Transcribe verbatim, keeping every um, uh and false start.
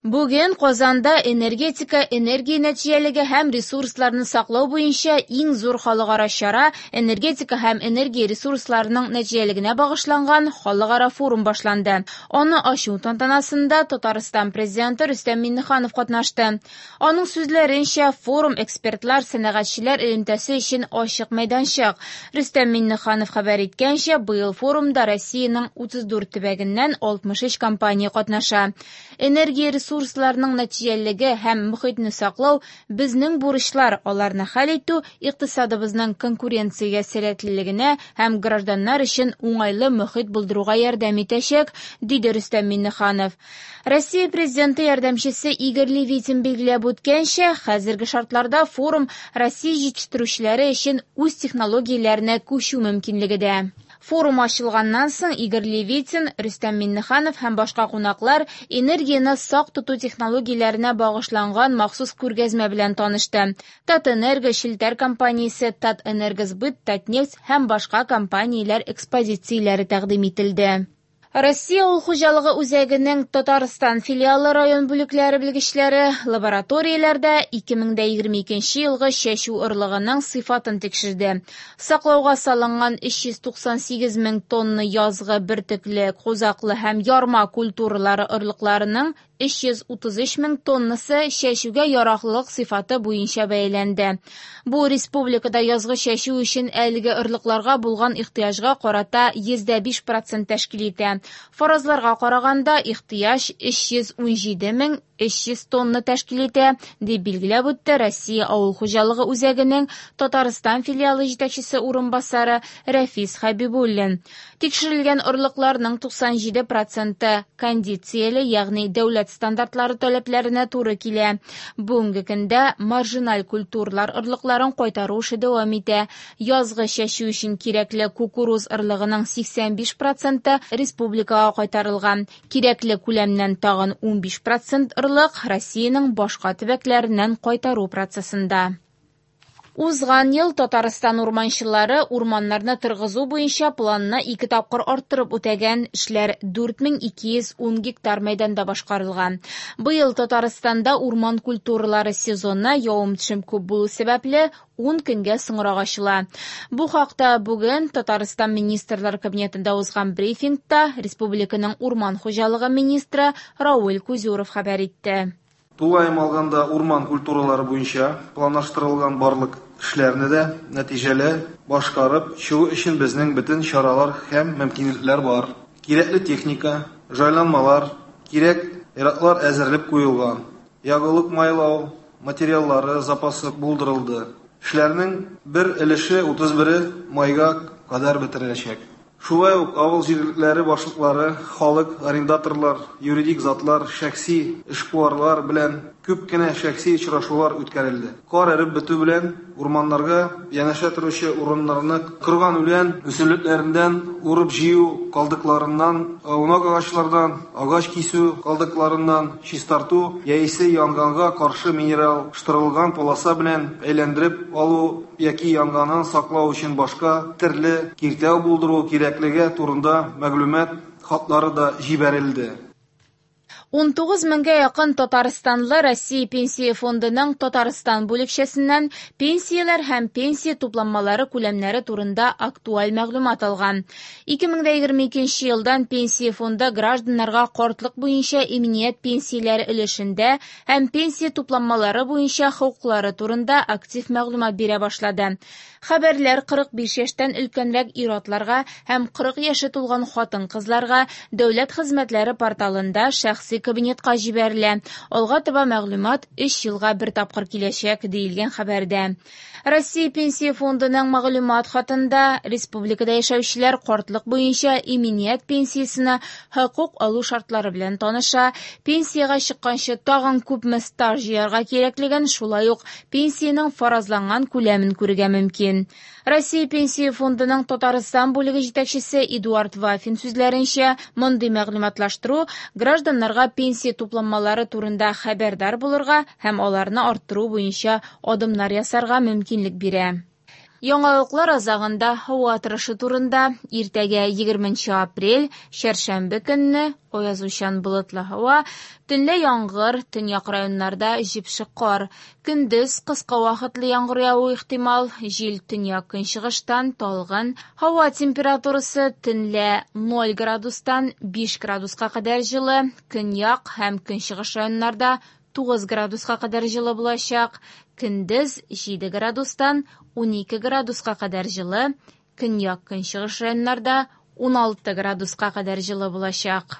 Бүген Казанда энергетика, энергия нәтиҗәлелеге һәм ресурсларны саклау буенча иң зур халыкара чара – энергетика һәм энергия ресурсларының нәтиҗәлелегенә багышланган халыкара форум башланды. Аны ачу тантанасында Татарстан Президенты Рөстәм Миңнеханов катнашты. Аның сүзләренчә, форум экспертлар, сәнәгатьчеләр элемтәсе өчен ачык мәйданчык. Рөстәм Миңнеханов хәбәр иткәнчә, быел форумда Россиянең утыз дүрт төбәгеннән алтмыш өч компания катнаша. Энергия ресурсларының нәтиҗәлелеге һәм мөхитне саклау – безнең бурычлар, аларны хәл итү икътисадыбызның конкуренциягә сәләтлелегенә һәм гражданнар өчен уңайлы мөхит булдыруга ярдәм итәчәк, диде Рөстәм Миңнеханов. Россия Президенты ярдәмчесе Игорь Левитин билгеләп үткәнчә, хәзерге шартларда форум Россия җитештерүчеләре өчен үз технологияләренә күчү мөмкинлеге дә. Форум ачылганнан соң Игорь Левитин, Рөстәм Миңнеханов һәм башка кунаклар энергияне сак тоту технологияләренә багышланган махсус күргәзмә белән танышты. Татэнерго челтәр компаниясе, Татэнергосбыт, Татнефть һәм башка компанияләр экспозицияләре тәкъдим ителде. Россия авыл хуҗалыгы үзәгенең Татарстан филиалы район бүлекләре белгечләре лабораторияләрдә ике мең дә егерме икенче елгы чәчү орлыгының сыйфатын тикшерде. Саклауга салынган өч йөз туксан сигез мең тонна язгы бөртекле, кузаклы һәм ярма культуралары орлыкларының өч йөз утыз өч мең тоннасы чәчүгә яраклылык сыйфаты буенча бәяләнде. Бу республикада язгы чәчү өчен әлеге орлыкларга булган ихтыяҗга карата йөз дә биш процент тәшкил итә. Фаразларга караганда, ихтыяҗ өч йөз ун җиде мең өч йөз тонна тәшкил итә, дип билгеләп үтте Россия авыл хуҗалыгы үзәгенең Татарстан филиалы җитәкчесе урынбасары Рәфис Хәбибуллин. Тикшерелгән орлыкларның туксан җиде проценты кондицияле, ягъни дәүләт стандартлары таләпләренә туры килә. Бүгенге көндә маржиналь культуралар орлыкларын кайтару эше дәвам итә. Язгы чәчү өчен кирәкле кукуруз орлыгының сиксән биш проценты республикага кайтарылган. Кирәкле күләмнән тагын ун биш процент орлык Россиянең башка төбәкләреннән кайтару процессында. Узган ел Татарстан урманчылары урманнарны торгызу буенча планны ике тапкыр арттырып үтәгән, эшләр дүрт мең ике йөз ун гектар мәйданда башкарылган. Быел Татарстанда урман культуралары сезоны явым-төшем күп булу сәбәпле ун көнгә соңрак ачыла. Бу хакта бүген Татарстан Министрлар Кабинетында узган брифингта республиканың урман хуҗалыгы министры Равил Кузюров хәбәр итте. Тулаем алганда урман культуралары буенча планлаштырылган барлык эшләрне дә нәтиҗәле башкарып чыгу өчен безнең бөтен чаралар һәм мөмкинлекләр бар. Кирәкле техника, җайланмалар, кирәк яраклар әзерләп куелган. Ягулык майлау материаллары запасы булдырылды. Эшләрнең бер өлеше утыз бере майга кадәр бетереләчәк. Шулай ук авыл җирлекләре башлыклары, халык, арендаторлар, юридик затлар, шәхси эшкуарлар белән күп кенә шәхси очрашулар үткәрелде. Кар эреп бетү белән урманнарга янәшә торучы урыннарны кырган үлән үсемлекләреннән урып җыю калдыкларыннан, аунак агачлардан, агач кисү калдыкларыннан чистарту яисә янгынга каршы минераллаштырылган полоса белән әйләндереп алу яки янгыннан саклау өчен башка төрле киртәү булдыру кирәклеге турында мәгълүмат хатлары да җибәрелде. Ун тугыз меңгә якын татарстанлы Россия Пенсия фондының Татарстан бүлекчәсеннән пенсияләр һәм пенсия тупланмалары күләмнәре турында актуаль мәгълүмат алган. Ике мең дә егерме икенче елдан Пенсия фонды гражданнарга картлык буенча иминият пенсияләре өлешендә һәм пенсия тупланмалары буенча хокуклары турында актив мәгълүмат бирә башлады. Хәбәрләр кырык биш яшьтән өлкәнрәк ир-атларга һәм кырык яше тулган хатын-кызларга дәүләт хезмәтләре порталында шәхси кабинетка җибәрелә. Алга таба мәгълүмат өч елга бер тапкыр киләчәк, диелгән хәбәрдә. Россия Пенсия фондының мәгълүмат хатында республикада яшәүчеләр картлык буенча иминият пенсиясенә хокук алу шартлары белән таныша, пенсиягә чыкканчы тагын күпме стаж җыярга кирәклеген, шулай ук пенсиянең фаразланган күләмен күрергә мөмкин. Россия Пенсия фондының Татарстан бүлеге җитәкчесе Эдуард Вафин сүзләренчә, мондый мәгълүматлаштыру гражданнарга пенсия тупланмалары турында хәбәрдар булырга һәм аларны арттыру буенча адымнар ясарга мөмкинлек бирә. Яңалыклар азагында һава торышы турында. Иртәгә егерменче апрель, чәршәмбе көнне аязучан болытлы һава, төнлә яңгыр, төньяк районнарда җепшек кар. Көндез кыска вакытлы яңгыр явуы ихтимал, җил төньяк-көнчыгыштан талгын. Һава температурасы төнлә ноль градустан биш градуска кадәр җылы, көньяк һәм көнчыгыш районнарда тугыз градуска кадәр җылы булачак. Көндез җиде градустан унике градуска кадәр җылы, көньяк-көнчыгыш районнарда уналты градуска кадәр җылы булачак.